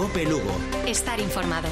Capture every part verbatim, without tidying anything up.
COPE Lugo. Estar informado.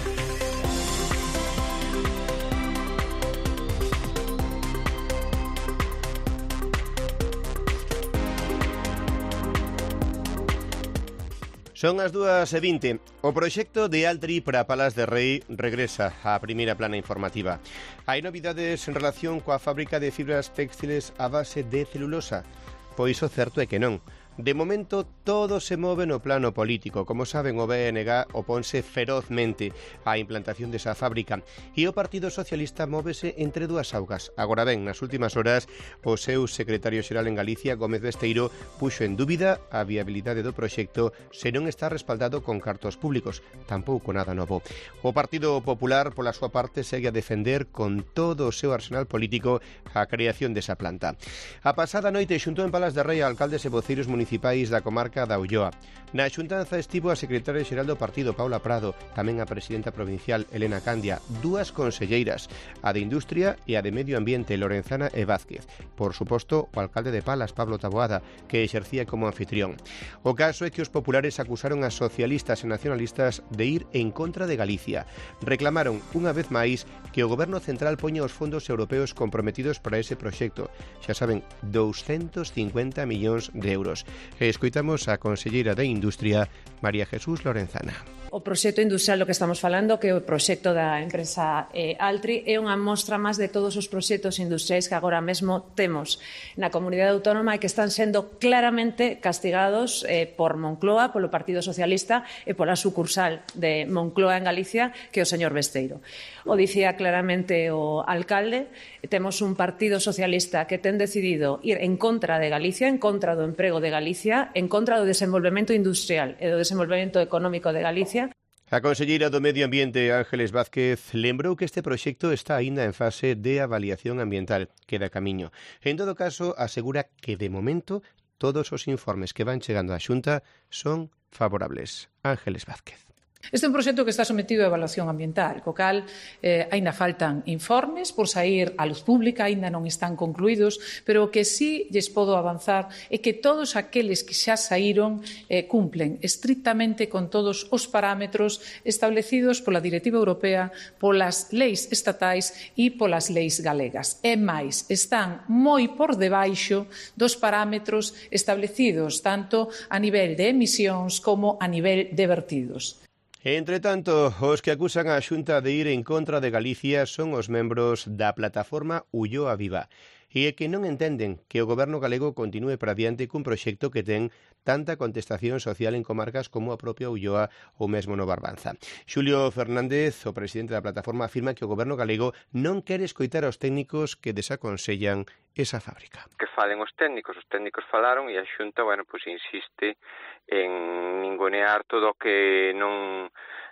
Son as dúas e vinte. O proxecto de Altri para Palas de Rei regresa á primeira plana informativa. Hai novidades en relación coa fábrica de fibras textiles a base de celulosa? Pois o certo é que non. De momento, todo se move no plano político. Como saben, o B N G oponse ferozmente á implantación desa fábrica e o Partido Socialista móvese entre dúas augas. Agora ben, nas últimas horas, o seu secretario xeral en Galicia, Gómez Besteiro, puxo en dúbida a viabilidade do proxecto se non está respaldado con cartos públicos. Tampouco nada novo. O Partido Popular, pola súa parte, segue a defender con todo o seu arsenal político a creación desa planta. A pasada noite xuntou en Palas de Rei a alcaldes e voceiros municipais municipais da comarca da Ulloa. Na xuntanza estivo a secretaria xeral do partido, Paula Prado, tamén a presidenta provincial, Elena Candia, dúas conselleiras, a de Industria e a de Medio Ambiente, Lorenzana e Vázquez. Por suposto, o alcalde de Palas, Pablo Taboada, que exercía como anfitrión. O caso é que os populares acusaron a socialistas e nacionalistas de ir en contra de Galicia. Reclamaron, unha vez máis, que o goberno central poña os fondos europeos comprometidos para ese proxecto. Xa saben, douscentos cincuenta millóns de euros. E escoitamos a conselleira de Industria, María Jesús Lorenzana. O proxecto industrial do que estamos falando, que é o proxecto da empresa eh, Altri, é unha mostra máis de todos os proxectos industriais que agora mesmo temos na comunidade autónoma e que están sendo claramente castigados eh, por Moncloa, polo Partido Socialista e pola sucursal de Moncloa en Galicia, que é o señor Besteiro. O dicía claramente o alcalde, temos un Partido Socialista que ten decidido ir en contra de Galicia, en contra do emprego de Galicia, en contra do desenvolvemento industrial e do desenvolvemento económico de Galicia. A conselleira do Medio Ambiente, Ángeles Vázquez, lembrou que este proxecto está aínda en fase de avaliación ambiental, queda camiño. En todo caso, asegura que, de momento, todos os informes que van chegando á Xunta son favorables. Ángeles Vázquez. Este é un proxecto que está sometido a evaluación ambiental, co cal eh, aínda faltan informes por sair á luz pública, aínda non están concluídos, pero o que sí lles podo avanzar é que todos aqueles que xa saíron eh, cumplen estrictamente con todos os parámetros establecidos pola Directiva Europea, polas leis estatais e polas leis galegas. E máis, están moi por debaixo dos parámetros establecidos tanto a nivel de emisións como a nivel de vertidos. Entre tanto, os que acusan a Xunta de ir en contra de Galicia son os membros da plataforma Ulloa Viva e é que non entenden que o goberno galego continúe para diante cun proxecto que ten tanta contestación social en comarcas como a propia Ulloa ou mesmo no Barbanza. Xulio Fernández, o presidente da plataforma, afirma que o goberno galego non quere escoitar aos técnicos que desaconsellan esa fábrica. Que falen os técnicos, os técnicos falaron e a Xunta, bueno, pois insiste en ningunear todo o que non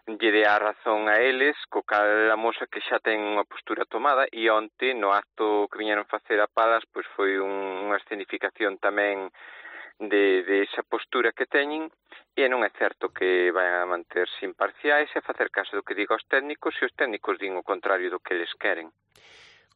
lle dé a razón a eles, co cal amosa que xa ten unha postura tomada e onte no acto que viñeron facer a Palas pois foi un, unha escenificación tamén de, de esa postura que teñen e non é certo que vayan a manterse imparciais e a facer caso do que diga os técnicos e os técnicos din o contrario do que eles queren.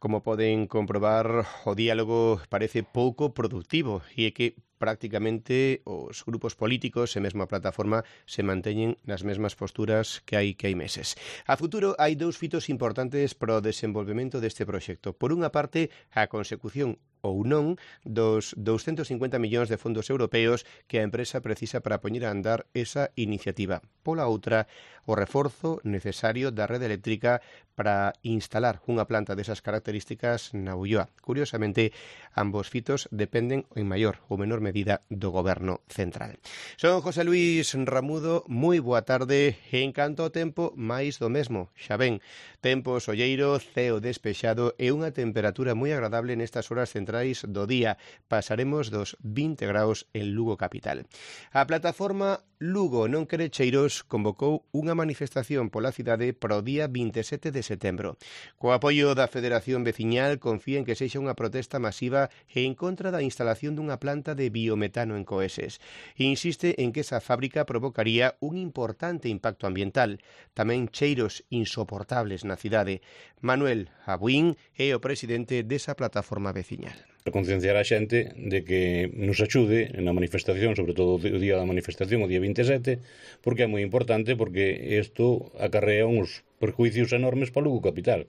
Como poden comprobar, o diálogo parece pouco productivo e é que prácticamente os grupos políticos e mesmo a plataforma se manteñen nas mesmas posturas que hai que hai meses. A futuro hai dous fitos importantes para o desenvolvemento deste proxecto. Por unha parte, a consecución ou non dos douscentos cincuenta millóns de fondos europeos que a empresa precisa para poñer a andar esa iniciativa. Pola outra, o reforzo necesario da rede eléctrica para instalar unha planta desas características na Ulloa. Curiosamente, ambos fitos dependen en maior ou menor medida do goberno central. Son José Luis Ramudo, moi boa tarde e en canto ao tempo, máis do mesmo. Xa ven, tempo solleiro, ceo despexado e unha temperatura moi agradable nestas horas centrais do día. Pasaremos dos vinte graus en Lugo capital. A plataforma Lugo non quere cheiros convocou unha manifestación pola cidade para o día vinte e sete de setembro. Co apoio da Federación Veciñal confía en que sexa unha protesta masiva e en contra da instalación dunha planta de biometano en Coeses. Insiste en que esa fábrica provocaría un importante impacto ambiental, tamén cheiros insoportables na cidade. Manuel Abuín é o presidente desa plataforma veciñal. Concienciar a xente de que nos axude na manifestación, sobre todo o día da manifestación, o día veinte e sete, porque é moi importante, porque isto acarrea uns perjuicios enormes para Lugo capital,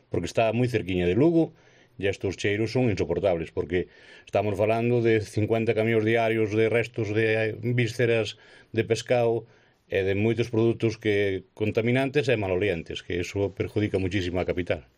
porque está moi cerquiña de Lugo e estes cheiros son insoportables, porque estamos falando de cincuenta camións diarios de restos de vísceras de pescado e de moitos produtos que contaminantes e malolientes, que iso perjudica muchísimo a capital.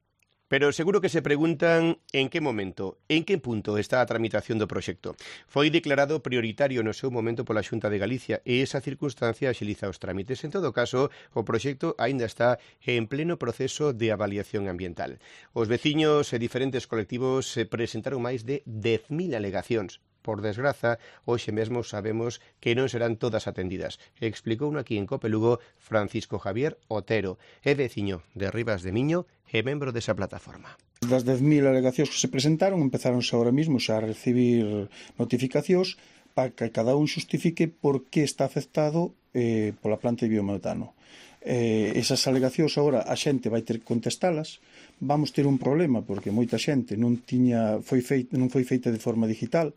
Pero seguro que se preguntan en que momento, en que punto está a tramitación do proxecto. Foi declarado prioritario no seu momento pola Xunta de Galicia e esa circunstancia axiliza os trámites. En todo caso, o proxecto aínda está en pleno proceso de avaliación ambiental. Os veciños e diferentes colectivos se presentaron máis de dez mil alegacións. Por desgraza, hoxe mesmo sabemos que non serán todas atendidas. Explicou aquí en Cope Lugo Francisco Javier Otero, é veciño de Rivas de Miño e membro desa plataforma. Das dez mil alegacións que se presentaron, empezáronse ahora mismo xa a recibir notificacións para que cada un xustifique por que está afectado eh, pola planta de biometano. Eh, esas alegacións agora a xente vai ter que contestalas. Vamos ter un problema porque moita xente non tiña foi feita, non foi feita de forma digital.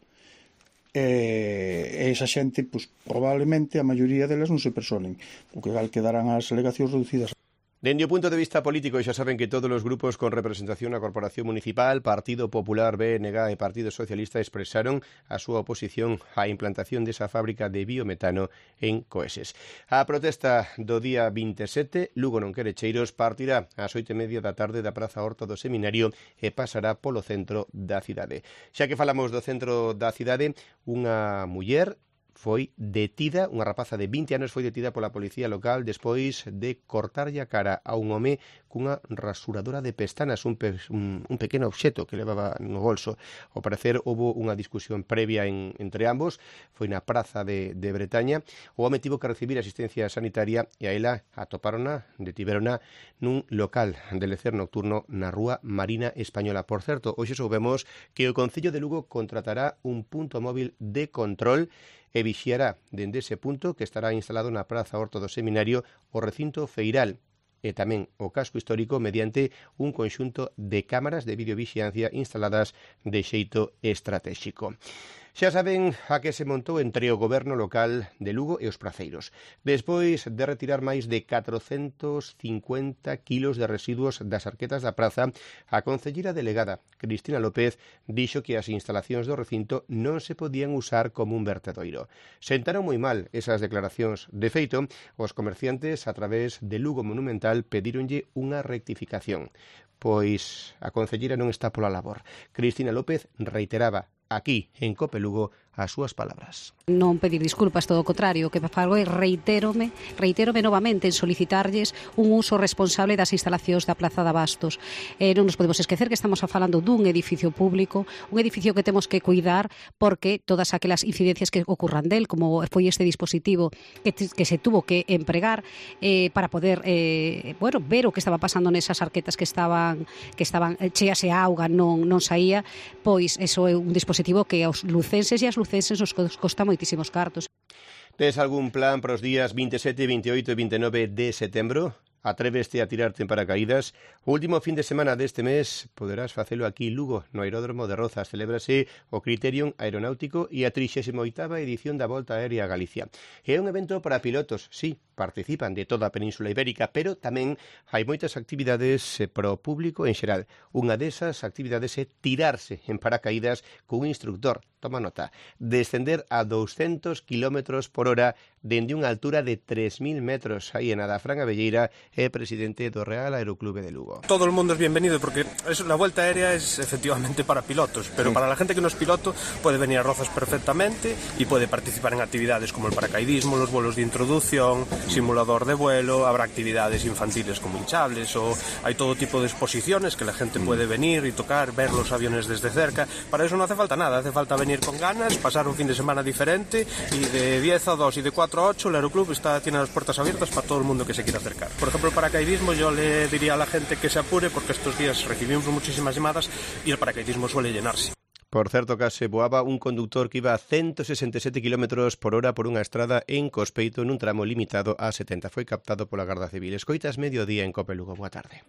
E esa xente, pois, probablemente a maioría delas non se personen, porque gal quedarán as alegacións reducidas. Dende o punto de vista político, xa saben que todos os grupos con representación na Corporación Municipal, Partido Popular, B N G e Partido Socialista expresaron a súa oposición á implantación desa fábrica de biometano en Coeses. A protesta do día veinte e sete, Lugo non quere cheiros, partirá ás oito e media da tarde da Praza Horta do Seminario e pasará polo centro da cidade. Xa que falamos do centro da cidade, unha muller foi detida, unha rapaza de vinte anos foi detida pola policía local despois de cortarlle a cara a un home cunha rasuradora de pestanas, un, pe, un, un pequeno obxeto que levaba no bolso. Ao parecer, houve unha discusión previa en, entre ambos, foi na praza de, de Bretaña. O home tivo que recibir asistencia sanitaria e a ela atopárona, detiverona nun local de lecer nocturno na rúa Marina Española. Por certo, hoxe soubemos que o Concello de Lugo contratará un punto móvil de control e vixiará dende ese punto que estará instalado na Praza Horta do Seminario o recinto feiral e tamén o casco histórico mediante un conxunto de cámaras de videovixiancia instaladas de xeito estratégico. Xa saben a que se montou entre o goberno local de Lugo e os praceiros. Despois de retirar máis de catrocentos cincuenta kilos de residuos das arquetas da praza, a concelleira delegada, Cristina López, dixo que as instalacións do recinto non se podían usar como un vertedoiro. Sentaron moi mal esas declaracións. De feito, os comerciantes, a través de Lugo Monumental, pedíronlle unha rectificación. Pois a concelleira non está pola labor. Cristina López reiteraba aquí, en Cope Lugo, as súas palabras. Non pedir disculpas, todo o contrario, que fago é reitérome, reitérome novamente en solicitarlles un uso responsable das instalacións da Praza de Abastos. Eh, non nos podemos esquecer que estamos falando dun edificio público, un edificio que temos que cuidar porque todas aquelas incidencias que ocurran del, como foi este dispositivo que, que se tuvo que empregar eh, para poder eh, bueno, ver o que estaba pasando nesas arquetas que estaban que estaban cheas e a auga non, non saía, pois eso é un dispositivo que aos lucenses e as lucenses nos costa moitísimos cartos. Tes algún plan para os días veinte e sete, veinte e oito e veinte e nove de setembro? Atréveste a tirarte en paracaídas? O último fin de semana deste mes poderás facelo aquí en Lugo, no aeródromo de Rozas. Celébrase o Criterium Aeronáutico e a trixésima oitava edición da Volta Aérea a Galicia. É un evento para pilotos, sí, participan de toda a Península Ibérica, pero tamén hai moitas actividades para o público en xeral. Unha desas actividades é tirarse en paracaídas cun instructor, toma nota, descender a douscentos kilómetros por hora dende unha altura de tres mil metros. Aí en Adafrán Abelleira é presidente do Real Aeroclube de Lugo. Todo el mundo es bienvenido porque es, la vuelta aérea es efectivamente para pilotos, pero sí. Para la gente que no es piloto puede venir a Rozas perfectamente y puede participar en actividades como el paracaidismo, los vuelos de introducción, simulador de vuelo, habrá actividades infantiles como hinchables o hay todo tipo de exposiciones que la gente puede venir y tocar, ver los aviones desde cerca. Para eso no hace falta nada, hace falta venir con ganas, pasar un fin de semana diferente y de diez a dos y de cuatro a ocho el Aeroclub está, tiene las puertas abiertas para todo el mundo que se quiera acercar. Por ejemplo, el paracaidismo yo le diría a la gente que se apure porque estos días recibimos muchísimas llamadas y el paracaidismo suele llenarse. Por certo, case voaba un conductor que iba a ciento sesenta e sete kilómetros por hora por unha estrada en Cospeito nun tramo limitado a setenta. Foi captado pola Garda Civil. Escoitas Mediodía en Cope Lugo. Boa tarde.